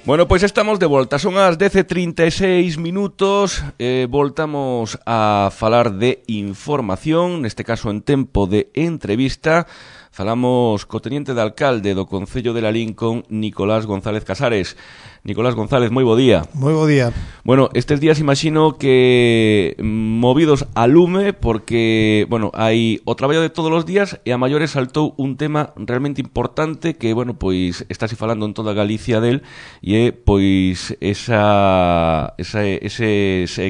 Bueno, pois estamos de volta, son as 10:36 minutos, voltamos a falar de información, neste caso en tempo de entrevista. Falamos co teniente de alcalde do Concello de Lalín con Nicolás González Casares. Nicolás González, moi bo día. Moi bo día. Bueno, estes días imagino que movidos a lume porque, bueno, hai o traballo de todos os días e a maiores saltou un tema realmente importante que, bueno, pois estáse falando en toda Galicia del e é, pois, eses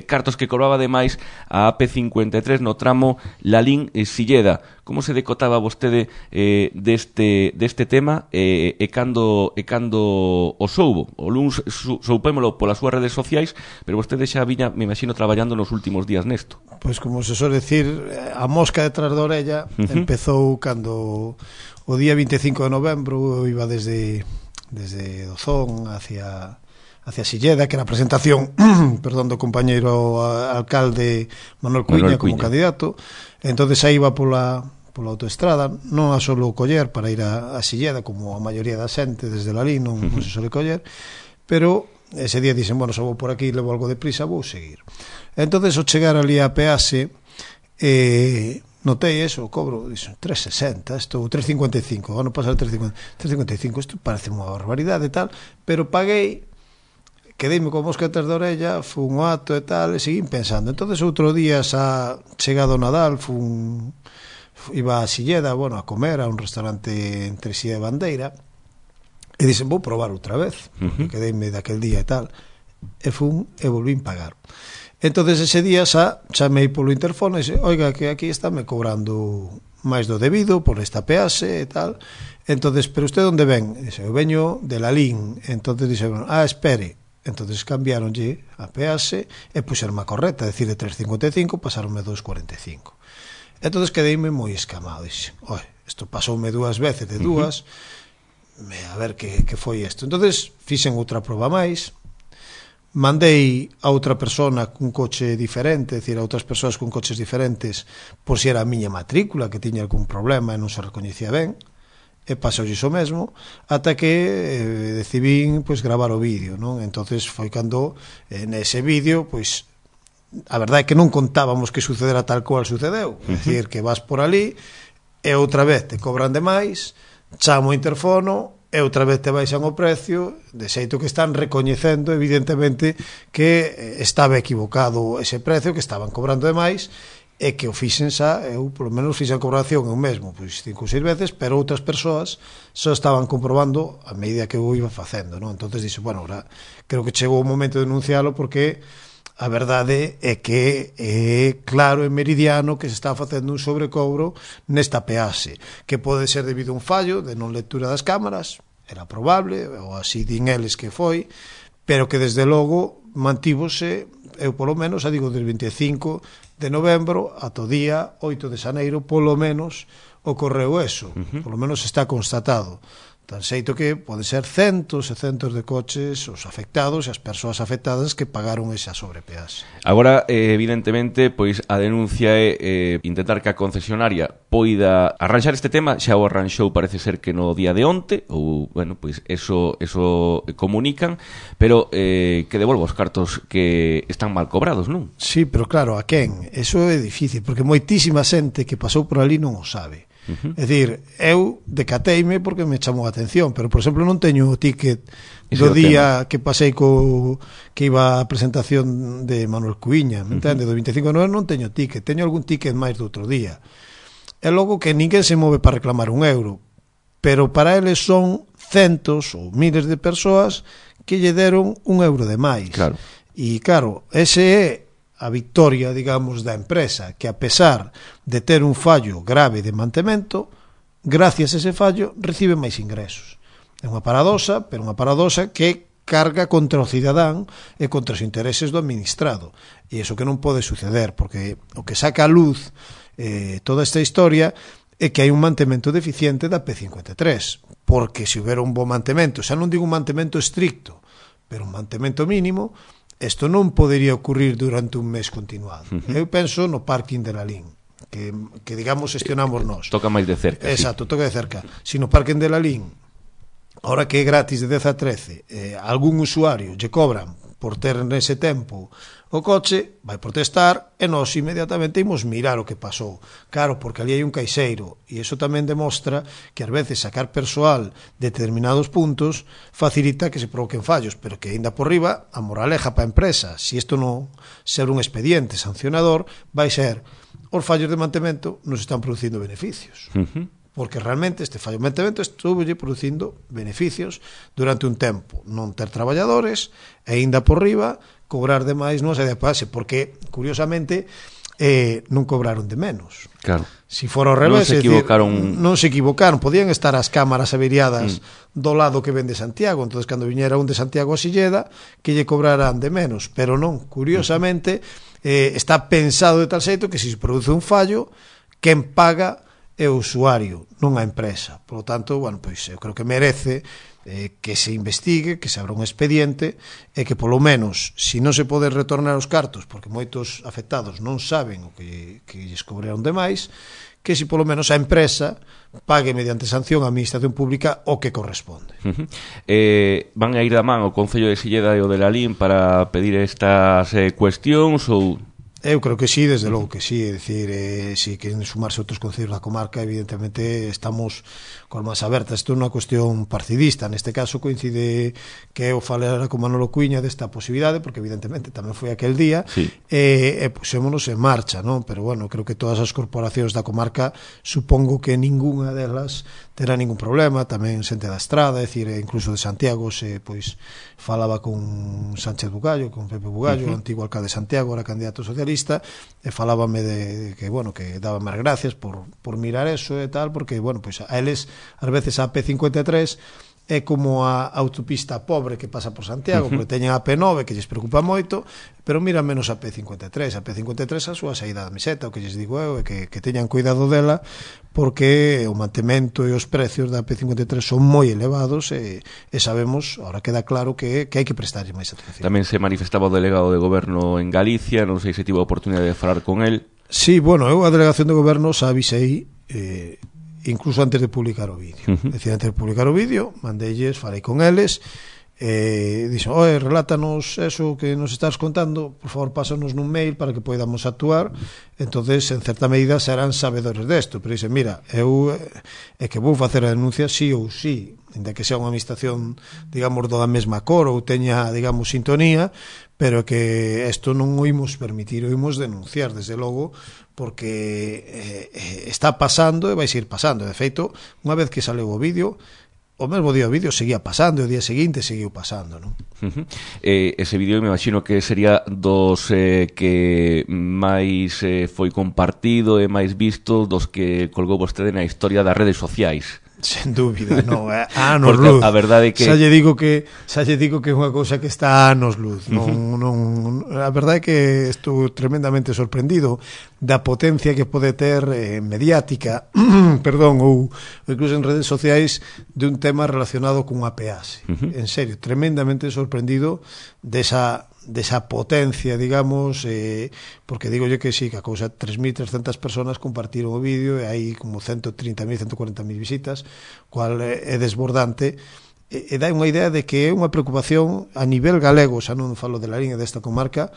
cartos que cobraba ademais a AP53 no tramo Lalín-Silleda. Como se decotaba vostede deste tema e cando o soubo? O luns soupémolo polas súas redes sociais, pero vostede xa viña, me imagino, traballando nos últimos días nesto. Pois como se suele decir, a mosca detrás da orella empezou cando o día 25 de novembro iba desde Dozón hacia Silleda, que era a presentación do compañeiro alcalde Manuel Cuiña como candidato. Entonces aí iba pola autoestrada, non a solo coller para ir a Silleda, como a maioría da xente desde Lalín non se sole coller, pero ese día dixen, bueno, xa vou por aquí, levo algo de prisa, vou seguir. Entonces, ao chegar ali a pease, notei eso, o cobro, dixen, 3,60, isto, 3,55, ano pasado 3,55, isto parece unha barbaridade e tal, pero paguei, quedeime con mosca detrás da orella, fun o acto e tal, e seguín pensando. Entonces, outro día, xa chegado o Nadal, iba a Silleda, bueno, a comer a un restaurante entre Silleda e Bandeira, e dixen, vou probar outra vez, quedeime daquel día e tal, e fun e volvín pagar. Entonces ese día xa chamei polo interfono e dixen, oiga, que aquí está me cobrando máis do debido por esta pease e tal. Entonces, pero usted onde ven? Dixen, eu veño de Lalín. Entonces dixen, espere. Entonces cambiaronlle a pease e puxeronme a correcta, decir, de 3,55 pasaronme 2,45. Entonces quedeime moi escamado, dixen, oi, isto pasoume dúas veces de dúas, a ver que foi isto. Entonces fixen outra proba máis, mandei a outra persona cun coche diferente, decir, a outras persoas con coches diferentes, por si era a miña matrícula que tiña algún problema e non se recoñecía ben, e pasou iso mesmo, ata que decidín gravar o vídeo, non? Entonces foi cando nese vídeo, a verdade é que non contábamos que sucedera tal cual sucedeu, é dicir, que vas por ali e outra vez te cobran demais, chamo o interfono e outra vez te baixan o precio, de xeito que están recoñecendo evidentemente que estaba equivocado ese precio, que estaban cobrando demais e que o fixen xa, eu polo menos fixen a cobración eu mesmo, 5 ou 6 veces, pero outras persoas só estaban comprobando a medida que eu iba facendo, non? Entonces dixo, bueno, ahora creo que chegou o momento de denuncialo porque a verdade é que é claro e meridiano que se está facendo un sobrecobro nesta pease, que pode ser debido a un fallo de non lectura das cámaras, era probable, ou así din eles que foi, pero que desde logo mantívose, eu polo menos, digo, del 25 de novembro ata o día 8 de xaneiro, polo menos ocorreu eso, polo menos está constatado. Tan xeito que pode ser centos e centos de coches os afectados e as persoas afectadas que pagaron esa sobrepeaxe. Agora, evidentemente, pois a denuncia é intentar que a concesionaria poida arranxar este tema, xa o arranxou parece ser que no día de onte, ou, bueno, pois eso comunican, pero que devolva os cartos que están mal cobrados, non? Sí, pero claro, a quen? Eso é difícil, porque moitísima xente que pasou por ali non o sabe. É dicir, eu decateime porque me chamou a atención, pero por exemplo non teño o ticket do día que pasei que iba a presentación de Manuel Cuiña, me entende? Do 25 de novembro non teño ticket, teño algún ticket máis do outro día. E logo que ninguén se move para reclamar un euro, pero para eles son centos ou miles de persoas que lle deron un euro de máis. Claro. E claro, ese é a victoria, digamos, da empresa, que a pesar de ter un fallo grave de mantemento, gracias a ese fallo recibe máis ingresos. É unha paradoxa, pero unha paradoxa que carga contra o cidadán e contra os intereses do administrado. E iso que non pode suceder, porque o que saca a luz toda esta historia é que hai un mantemento deficiente da P53, porque se houbera un bo mantemento, xa non digo un mantemento estricto, pero un mantemento mínimo, isto non podería ocurrir durante un mes continuado. Eu penso no parking de Lalín, que digamos, gestionamos nós. Toca máis de cerca. Exacto, sí. Toca de cerca. Si no parking de Lalín ahora que é gratis de 10 a 13, algún usuario lle cobran por ter nese tempo o coche, vai protestar e nós inmediatamente imos mirar o que pasou. Claro, porque ali hai un caixeiro e iso tamén demostra que ás veces sacar persoal de determinados puntos facilita que se provoquen fallos, pero que ainda por riba a moraleja para a empresa, se isto non ser un expediente sancionador, vai ser os fallos de mantemento nos están producindo beneficios. Porque realmente este fallo de mantemento estuvo producindo beneficios durante un tempo, non ter traballadores e ainda por riba cobrar de máis non se de pase, porque curiosamente non cobraron de menos. Claro. Si fora ao revés, non se equivocaron, podían estar as cámaras averiadas do lado que ven de Santiago, entonces cando viñera un de Santiago a Silleda que lle cobrarán de menos, pero non, curiosamente está pensado de tal xeito que se produce un fallo, quen paga é o usuario, non a empresa. Por lo tanto, bueno, pois eu creo que merece que se investigue, que se abra un expediente e que polo menos, se non se pode retornar os cartos, porque moitos afectados non saben o que lles cobraron de máis, que se polo menos a empresa pague mediante sanción á administración pública o que corresponde. Van a ir da man o Concello de Silleda e o de Lalín para pedir estas cuestións ou... Eu creo que sí, desde logo que sí, é dicir, si queren sumarse outros concellos da comarca, evidentemente estamos con máis abertas. Isto é unha cuestión partidista, neste caso coincide que eu falara con Manolo Cuiña desta posibilidade, porque evidentemente tamén foi aquel día, sí. E pusémonos en marcha, non? Pero bueno, creo que todas as corporacións da comarca, supongo que ninguna delas terá ningún problema, tamén xente da Estrada, é dicir, incluso de Santiago, se pois falaba con Sánchez Bugallo, con Pepe Bugallo, o antigo alcalde de Santiago, era candidato socialista, e falábame de que, bueno, que daba máis gracias por mirar eso e tal, porque, bueno, pois a eles, ás veces a P53 é como a autopista pobre que pasa por Santiago, porque teñen a P9 que lles preocupa moito, pero miran menos a P53. A P53 a súa saída da meseta, o que lles digo eu é que teñan cuidado dela, porque o mantemento e os precios da P53 son moi elevados e sabemos, ahora queda claro que hai que prestarlle máis atención. Tamén se manifestaba o delegado de goberno en Galicia, non sei se tivo a oportunidade de falar con el. Sí, bueno, eu a delegación de goberno xa avisei incluso antes de publicar o vídeo. É dicir, antes de publicar o vídeo, mandeilles, falei con eles, dixo, relátanos eso que nos estás contando, por favor, pásanos nun mail para que podamos actuar. Entonces, en certa medida, serán sabedores desto, pero dixen, mira, eu é que vou facer a denuncia sí ou sí, ainda que sea unha administración, digamos, da mesma cor ou teña, digamos, sintonía, pero que isto non o imos permitir, o imos denunciar, desde logo, porque está pasando e vai seguir pasando. De feito, unha vez que saleu o vídeo, o mesmo día o vídeo seguía pasando, e o día seguinte seguiu pasando, non? Ese vídeo me imagino que sería dos que máis foi compartido e máis visto dos que colgou vostede na historia das redes sociais. Sen dúbida, non, anos luz. A verdade é que xa lle digo que é unha cousa que está anos luz. Non, a verdade é que estou tremendamente sorprendido da potencia que pode ter mediática, perdón, ou incluso en redes sociais, de un tema relacionado con unha peaxe. En serio, tremendamente sorprendido desa potencia, digamos, porque digolle que sí, que a cousa 3.300 personas compartiron o vídeo e hai como 130.000, 140.000 visitas, cual é desbordante, e dá unha idea de que é unha preocupación a nivel galego, xa non falo de la línea desta comarca,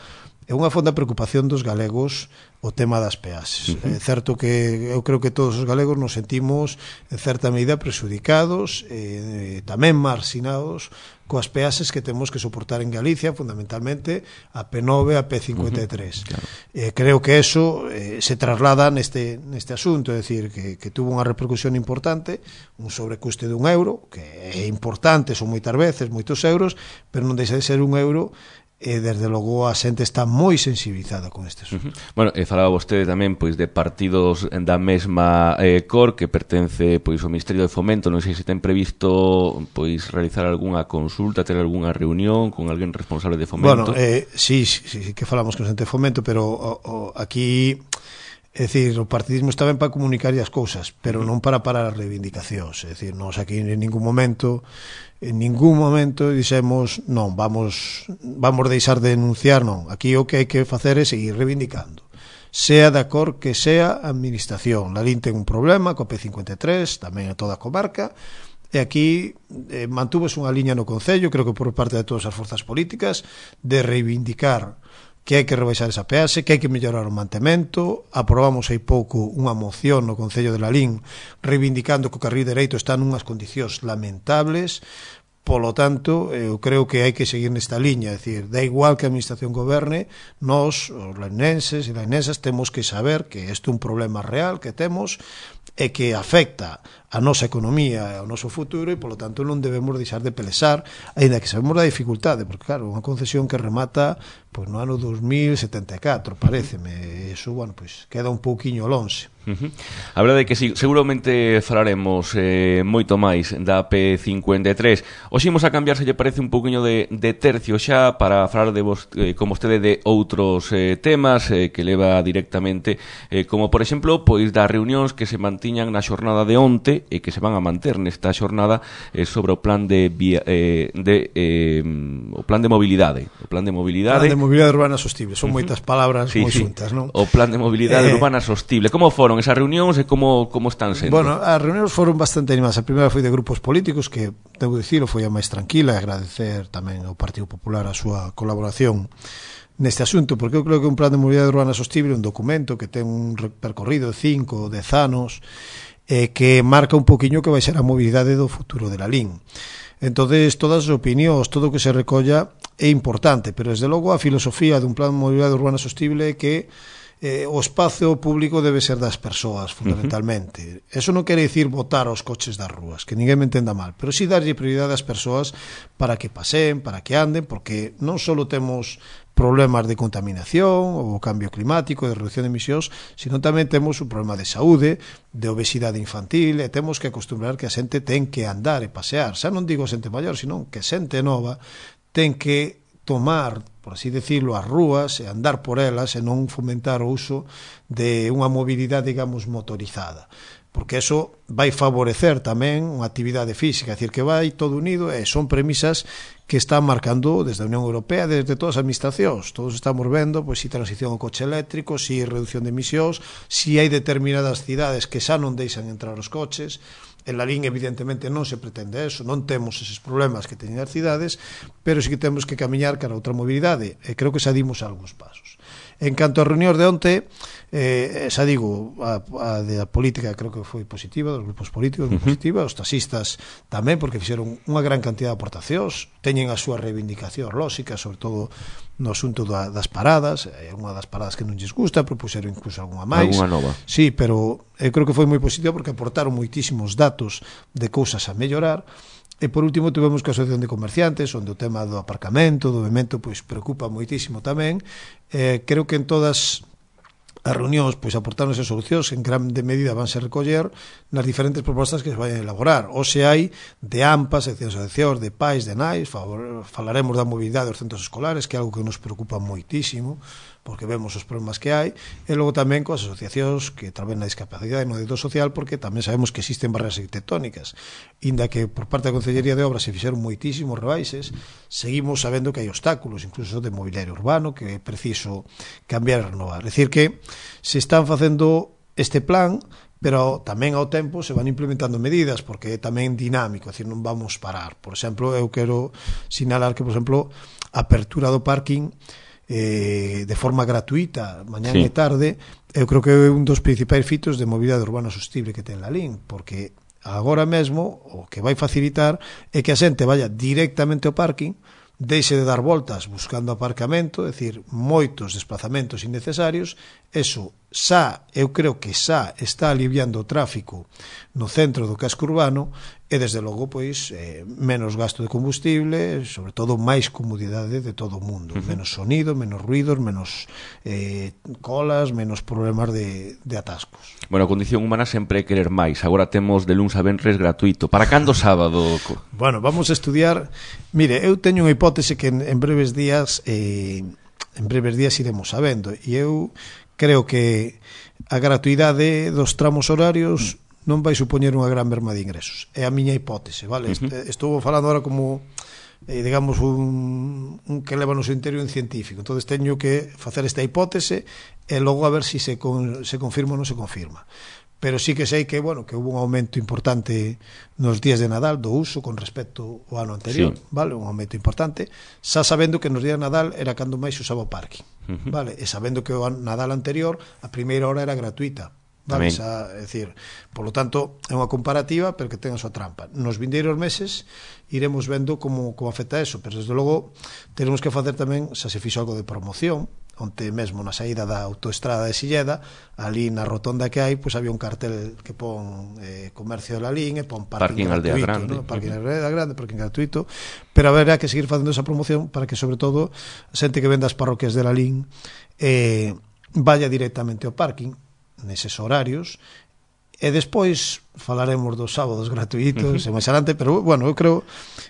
é unha fonda preocupación dos galegos o tema das peaxes. É certo que eu creo que todos os galegos nos sentimos en certa medida presudicados e tamén marxinados coas peaxes que temos que soportar en Galicia, fundamentalmente a P9 e a P53. Claro. Creo que eso se traslada neste asunto, é dicir, que tuvo unha repercusión importante, un sobrecuste de €1, que é importante, son moitas veces, moitos euros, pero non deixa de ser €1, e desde logo a xente está moi sensibilizada con este asunto. Bueno, falaba vostede tamén pois de partidos da mesma cor que pertence pois ao Ministerio de Fomento, non sei se ten previsto pois realizar algunha consulta, ter algunha reunión con alguén responsable de Fomento. Bueno, sí, que falamos con xente de Fomento, pero aquí, é dicir, o partidismo está ben para comunicar as cousas, pero non para parar as reivindicacións. É dicir, nós aquí en ningún momento dixemos non, vamos deixar de denunciar, non. Aquí o que hai que facer é seguir reivindicando, sea de cor que sea a administración. Lalín ten un problema co P53, tamén a toda a comarca, e aquí mantúvose unha liña no Concello, creo que por parte de todas as forzas políticas, de reivindicar que hai que rebaixar esa peaxe, que hai que mellorar o mantemento. Aprobamos hai pouco unha moción no Concello de Lalín reivindicando que o carril dereito está nunhas condicións lamentables. Polo tanto, eu creo que hai que seguir nesta liña, é dicir, da igual que a administración goberne, nós, os lainenses e lainensas, temos que saber que isto é un problema real que temos e que afecta a nosa economía e ao noso futuro e, polo tanto, non debemos deixar de pelexar, aínda que sabemos da dificultade, porque, claro, unha concesión que remata pois no ano 2074, paréceme, eso, bueno, pois queda un pouquiño lonxe. A verdade é que sí, seguramente falaremos moito máis da P53. Hoxe imos a cambiar, se lle parece, un pouquiño de tercio xa para falar de vos, con vostede de outros temas que leva directamente, como por exemplo, pois das reunións que se mantiñan na xornada de onte e que se van a manter nesta xornada sobre o plan de o plan de mobilidade, Plan de mobilidade urbana sostible, son moitas palabras moi xuntas, non? O plan de mobilidade urbana sostible. Como foron esas reunións e como están sendo? Bueno, as reunións foron bastante animadas. A primeira foi de grupos políticos, que, debo dicilo, foi a máis tranquila, e agradecer tamén ao Partido Popular a súa colaboración neste asunto, porque eu creo que un plan de mobilidade urbana sostible é un documento que ten un percorrido de 5 ou 10 anos que marca un poquinho que vai ser a mobilidade do futuro de Lalín. Entonces, todas as opinións, todo o que se recolla é importante, pero desde logo a filosofía dun plan de mobilidade urbana sostible é que o espazo público debe ser das persoas, fundamentalmente. Eso non quere dicir botar os coches das rúas, que ninguén me entenda mal, pero sí darlle prioridade ás persoas para que paseen, para que anden, porque non só temos problemas de contaminación ou cambio climático, de reducción de emisións, sino tamén temos un problema de saúde, de obesidade infantil, e temos que acostumbrar que a xente ten que andar e pasear. Xa non digo xente maior, sino que xente nova ten que tomar, por así decirlo, as rúas e andar por elas e non fomentar o uso de unha mobilidade, digamos, motorizada, porque eso vai favorecer tamén unha actividade física, é dicir, que vai todo unido, e son premisas que están marcando desde a Unión Europea, desde todas as administracións. Todos estamos vendo pois, si transición ao coche eléctrico, si reducción de emisións, si hai determinadas cidades que xa non deixan entrar os coches. En Lalín, evidentemente, non se pretende eso, non temos eses problemas que teñen as cidades, pero sí que temos que camiñar cara a outra mobilidade, e creo que xa dimos algúns pasos. En canto a reunións de onte, xa digo, a de a política creo que foi positiva, dos grupos políticos moi positiva, os taxistas tamén, porque fixeron unha gran cantidad de aportacións, teñen as súas reivindicacións lóxicas, sobre todo no asunto das paradas. Unha das paradas que non lles gusta, propuseron incluso algunha máis. Algunha nova. Sí, pero eu creo que foi moi positivo porque aportaron moitísimos datos de cousas a mellorar. E por último tivemos que a Asociación de Comerciantes, onde o tema do aparcamento, do movimento, pois preocupa moitísimo tamén. Creo que en todas as reunións pois aportaron esas solucións, en grande medida vanse recoller nas diferentes propostas que se vayan a elaborar. Hoxe hai de AMPA, seccións de asociacións, de pais, de nais, falaremos da mobilidade dos centros escolares, que é algo que nos preocupa moitísimo, porque vemos os problemas que hai, e logo tamén coas asociacións que traben na discapacidade e no dereito social, porque tamén sabemos que existen barreras arquitectónicas. Inda que por parte da Consellería de Obras se fixeron moitísimos rebaixes, seguimos sabendo que hai obstáculos, incluso de mobiliario urbano, que é preciso cambiar e renovar. É dicir que se están facendo este plan, pero tamén ao tempo se van implementando medidas, porque é tamén dinámico, é dicir, non vamos parar. Por exemplo, eu quero sinalar que, por exemplo, a apertura do parking de forma gratuita mañán e tarde, eu creo que é un dos principais fitos de mobilidade urbana sostible que ten Lalín, porque agora mesmo o que vai facilitar é que a xente vaya directamente ao parking, deixe de dar voltas buscando aparcamento, é dicir, moitos desplazamentos innecesarios. Eso xa, eu creo que xa está aliviando o tráfico no centro do casco urbano, e desde logo pois menos gasto de combustible, sobre todo máis comodidade de todo o mundo, menos sonido, menos ruidos, menos colas, menos problemas de atascos. Bueno, a condición humana sempre é querer máis. Agora temos de luns a venres gratuito. Para cando sábado? Bueno, vamos a estudiar. Mire, eu teño unha hipótese que en breves días iremos sabendo, e eu creo que a gratuidade dos tramos horarios non vai supoñer unha gran merma de ingresos. É a miña hipótese, vale? Estou falando agora como digamos un que leva no seu interior un científico. Entonces teño que facer esta hipótese e logo a ver se confirma ou non se confirma. pero sí que sei que, bueno, que hubo un aumento importante nos días de Nadal do uso con respecto ao ano anterior, vale, un aumento importante, xa sabendo que nos días de Nadal era cando máis usaba o parking, vale, e sabendo que o Nadal anterior a primeira hora era gratuita, vale, xa, é dicir, polo tanto é unha comparativa, pero que ten a súa trampa. Nos vindeiros meses iremos vendo como afecta eso, pero desde logo teremos que facer tamén, xa se fixo algo de promoción, onde mesmo na saída da autoestrada de Silleda, ali na rotonda que hai, pois había un cartel que pon comercio de la Lalín e pon parking gratuito, Grande, ¿no? Parking Aldea Grande, parking gratuito, pero haberá que seguir facendo esa promoción para que, sobre todo, a xente que vende as parroquias de Lalín vaya directamente ao parking neses horarios, e despois falaremos dos sábados gratuitos e máis adelante, pero bueno, eu creo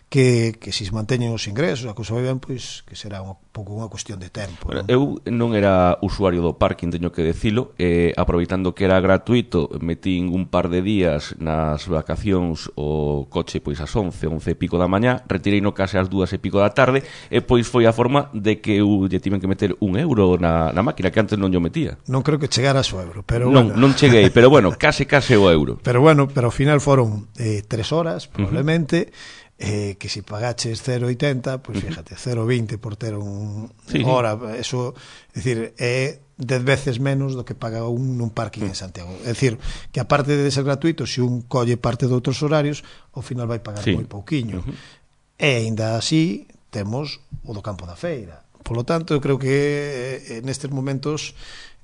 que se manteñen os ingresos, a cousa vai ben, pois que será un pouco unha cuestión de tempo. Bueno, eu non era usuario do parking, teño que decilo, aproveitando que era gratuito, metín un par de días nas vacacións o coche pois ás 11 e pico da mañá, retirei no case ás 2 e pico da tarde, e pois foi a forma de que eu lle tiven que meter €1 na máquina, que antes non yo metía. Non creo que chegaras ao euro, pero non, bueno. Non cheguei, pero bueno, case o euro. Pero bueno, pero ao final foron 3 horas, probablemente, que se pagaches 0,80, pois fíjate, 0,20 por ter hora, eso, é dicir, é 10 veces menos do que paga nun parking en Santiago. É dicir, que aparte de ser gratuito, se un colle parte de outros horarios, ao final vai pagar moi pouquiño. E aínda así temos o do campo da feira. Por lo tanto, eu creo que nestes momentos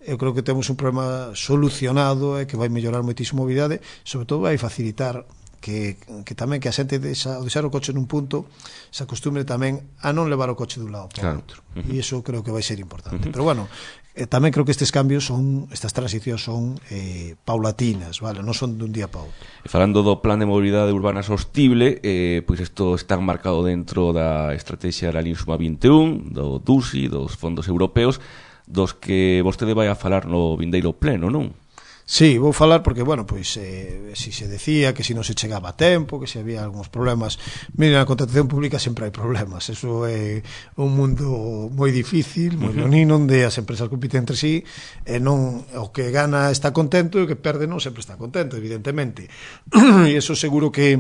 eu creo que temos un problema solucionado e que vai mellorar moitísimo a mobilidade, sobre todo vai facilitar que tamén que a xente ao deixar o coche nun punto se acostumbre tamén a non levar o coche dun lado para outro, e iso creo que vai ser importante. Pero bueno, tamén creo que estes cambios estas transicións son paulatinas, vale, non son dun día para outro. E falando do plan de mobilidade urbana sostible, pois isto está marcado dentro da estrategia da Linsuma 21, do DUSI, dos fondos europeos, dos que vostede vai a falar no vindeiro pleno, non? Sí, vou falar porque, bueno, pois si se decía que si non se chegaba a tempo, que se había algúns problemas. Mira, na contratación pública sempre hai problemas. Eso é un mundo moi difícil, moi leonino, onde as empresas compiten entre sí, e non o que gana está contento e o que perde non sempre está contento, evidentemente. E eso seguro que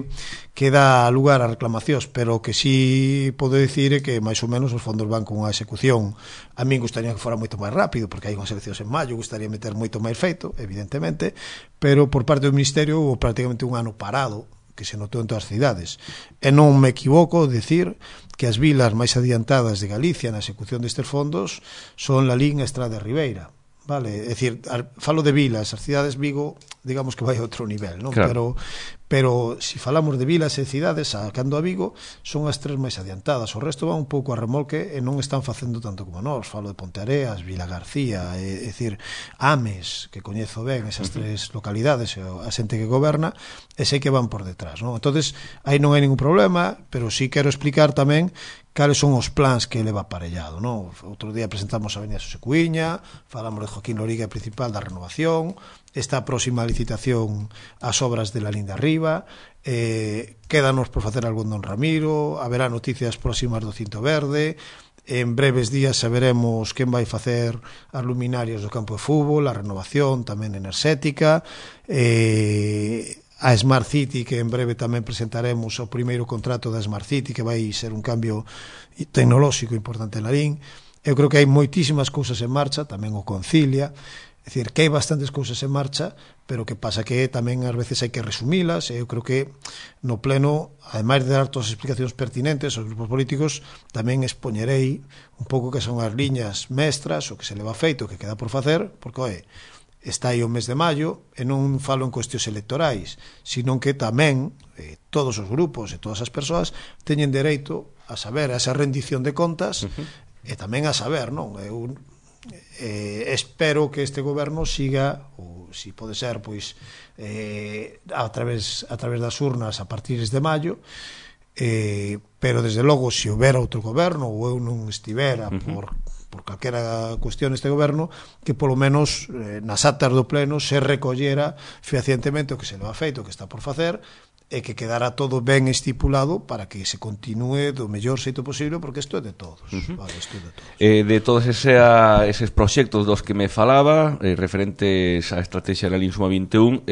dá lugar a reclamacións, pero que sí podo dicir é que máis ou menos os fondos van con unha execución. A min gustaría que fora moito máis rápido, porque hai unhas eleccións en maio, gustaría meter moito máis feito, evidentemente, pero por parte do Ministerio houve prácticamente un ano parado, que se notou en todas as cidades. E non me equivoco decir que as vilas máis adiantadas de Galicia na execución destes fondos son Lalín e Estrada de Ribeira. Vale, é dicir, falo de vilas, as cidades, Vigo, digamos que vai a outro nivel, non? Claro. Pero se falamos de vilas e cidades, sacando a Vigo, son as tres máis adiantadas. O resto van un pouco a remolque e non están facendo tanto como nós. Falo de Ponteareas, Vila García, é dicir, Ames, que coñezo ben esas tres localidades, a xente que goberna, e sei que van por detrás, non? Entonces, aí non hai ningún problema, pero sí quero explicar tamén cales son os plans que leva aparellado, non? Outro día presentamos a Avenida Xosé Cuíña, falamos de Joaquín Loriga, principal da renovación, esta próxima licitación ás obras de la Linda Arriba, quédanos por facer algo en Don Ramiro, haberá noticias próximas do Cinto Verde, en breves días saberemos quen vai facer as luminarias do campo de fútbol, a renovación tamén enerxética, a Smart City, que en breve tamén presentaremos o primeiro contrato da Smart City, que vai ser un cambio tecnolóxico importante en Lalín. Eu creo que hai moitísimas cousas en marcha, tamén o Concilia, é dicir, que hai bastantes cousas en marcha, pero que pasa que tamén ás veces hai que resumilas, e eu creo que no pleno, ademais de dar todas as explicacións pertinentes aos grupos políticos, tamén expoñerei un pouco que son as liñas mestras, o que se leva feito, o que queda por facer, porque, está aí o mes de maio, e non falo en cuestións electorais, sino que tamén todos os grupos e todas as persoas teñen dereito a saber a esa rendición de contas, e tamén a saber, non? Eu espero que este goberno siga, ou se pode ser, pois a través das urnas a partir de maio, pero desde logo se houbera outro goberno ou eu non estivera por calquera cuestión este goberno, que polo menos nas actas do pleno se recollera fehacientemente o que se leva feito, o que está por facer, e que quedara todo ben estipulado para que se continúe do mellor xeito posible, porque isto é de todos, vale, isto é de todos. De todos eses proxectos dos que me falaba, referentes á estrategia da LIN Suma 21,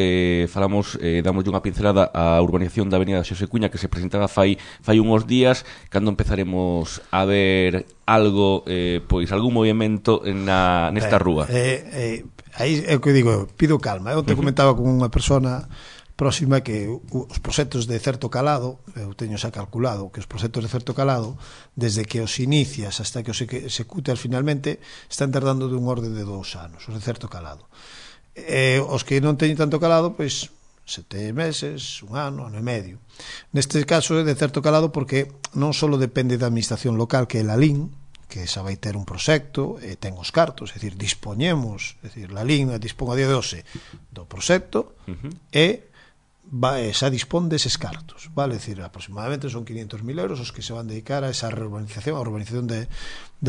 falamos, damos unha pincelada á urbanización da Avenida Xosé Cuña, que se presentaba fai uns días, cando empezaremos a ver algo, pois algún movimento nesta rúa. Aí é o que digo, pido calma. Eu te comentaba con unha persona próxima que os proxectos de certo calado, eu teño xa calculado que os proxectos de certo calado, desde que os inicias hasta que os executas finalmente, están tardando dun orde de 2 anos, os de certo calado. Os que non teñen tanto calado, pois 7 meses, 1 ano, ano e medio. Neste caso é de certo calado porque non só depende da administración local, que é a LIN, que xa vai ter un proxecto e ten os cartos, é dicir, dispoñemos, é dicir, a LIN dispón a día de hoxe do proxecto e xa dispón deses cartos, vale? É dicir, aproximadamente son 500.000 euros os que se van dedicar a esa reurbanización, a urbanización da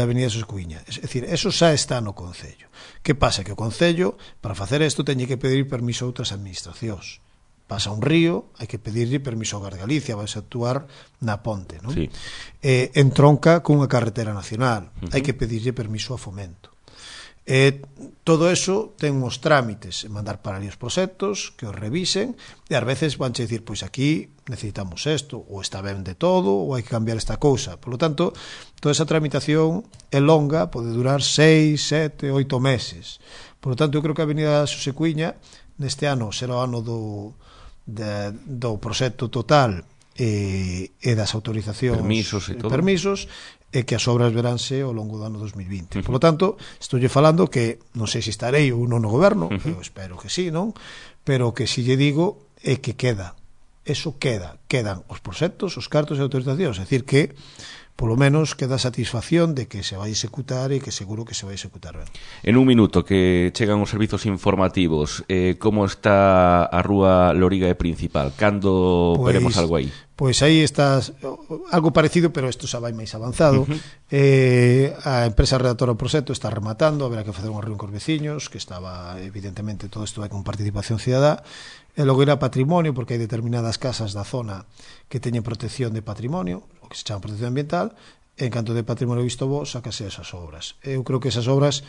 Avenida Xosé Cuíña. É dicir, eso xa está no Concello. Que pasa? Que o Concello, para facer isto, teñe que pedir permiso a outras administracións. Pasa un río, hai que pedirlle permiso ao Gar Galicia, vai a actuar na ponte, non? Sí. Entronca cunha carretera nacional, hai que pedirlle permiso a Fomento. Todo eso ten uns trámites, mandar para ali os proxectos, que os revisen, e ás veces vanche dicir, pois aquí necesitamos isto, ou está ben de todo, ou hai que cambiar esta cousa. Por lo tanto, toda esa tramitación é longa, pode durar 6, 7, 8 meses. Por lo tanto, eu creo que a Avenida Xosé Cuíña neste ano será o ano do proxecto total e das autorizacións, permisos, e que as obras veránse ao longo do ano 2020. Por lo tanto, estou falando que non sei se estarei ou non no goberno, eu espero que sí, non? Pero que si lle digo é que quedan os proxectos, os cartos e autorizacións, é dicir que polo menos queda satisfacción de que se vai executar e que seguro que se vai executar ben. En un minuto que chegan os servizos informativos, como está a rúa Loriga e Principal? Cando veremos algo aí? Pois aí está algo parecido, pero isto xa vai máis avanzado. A empresa redactora do proxecto está rematando, haberá que facer unha reunión cos veciños, que estaba, evidentemente, todo isto vai con participación cidadá, e logo irá patrimonio, porque hai determinadas casas da zona que teñen protección de patrimonio, o que se chama protección ambiental, e en canto de patrimonio visto bo, sácase esas obras. Eu creo que esas obras,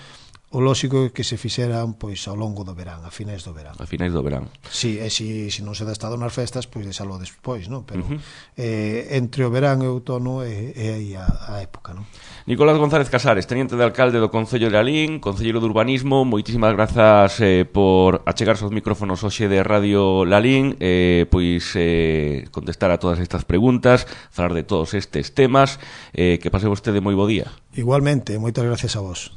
o lóxico é que se fixeran pois ao longo do verán, a finais do verán. A finais do verán. Si, e se non se dá estado nas festas, pois deixalo despois, non? Pero entre o verán e o outono é aí a época, non? Nicolás González Casares, teniente de alcalde do Concello de Lalín, concelleiro de Urbanismo, moitísimas grazas por achegarse aos micrófonos hoxe de Radio Lalín, pois contestar a todas estas preguntas, falar de todos estes temas, que pase vostede moi bo día. Igualmente, moitas gracias a vos.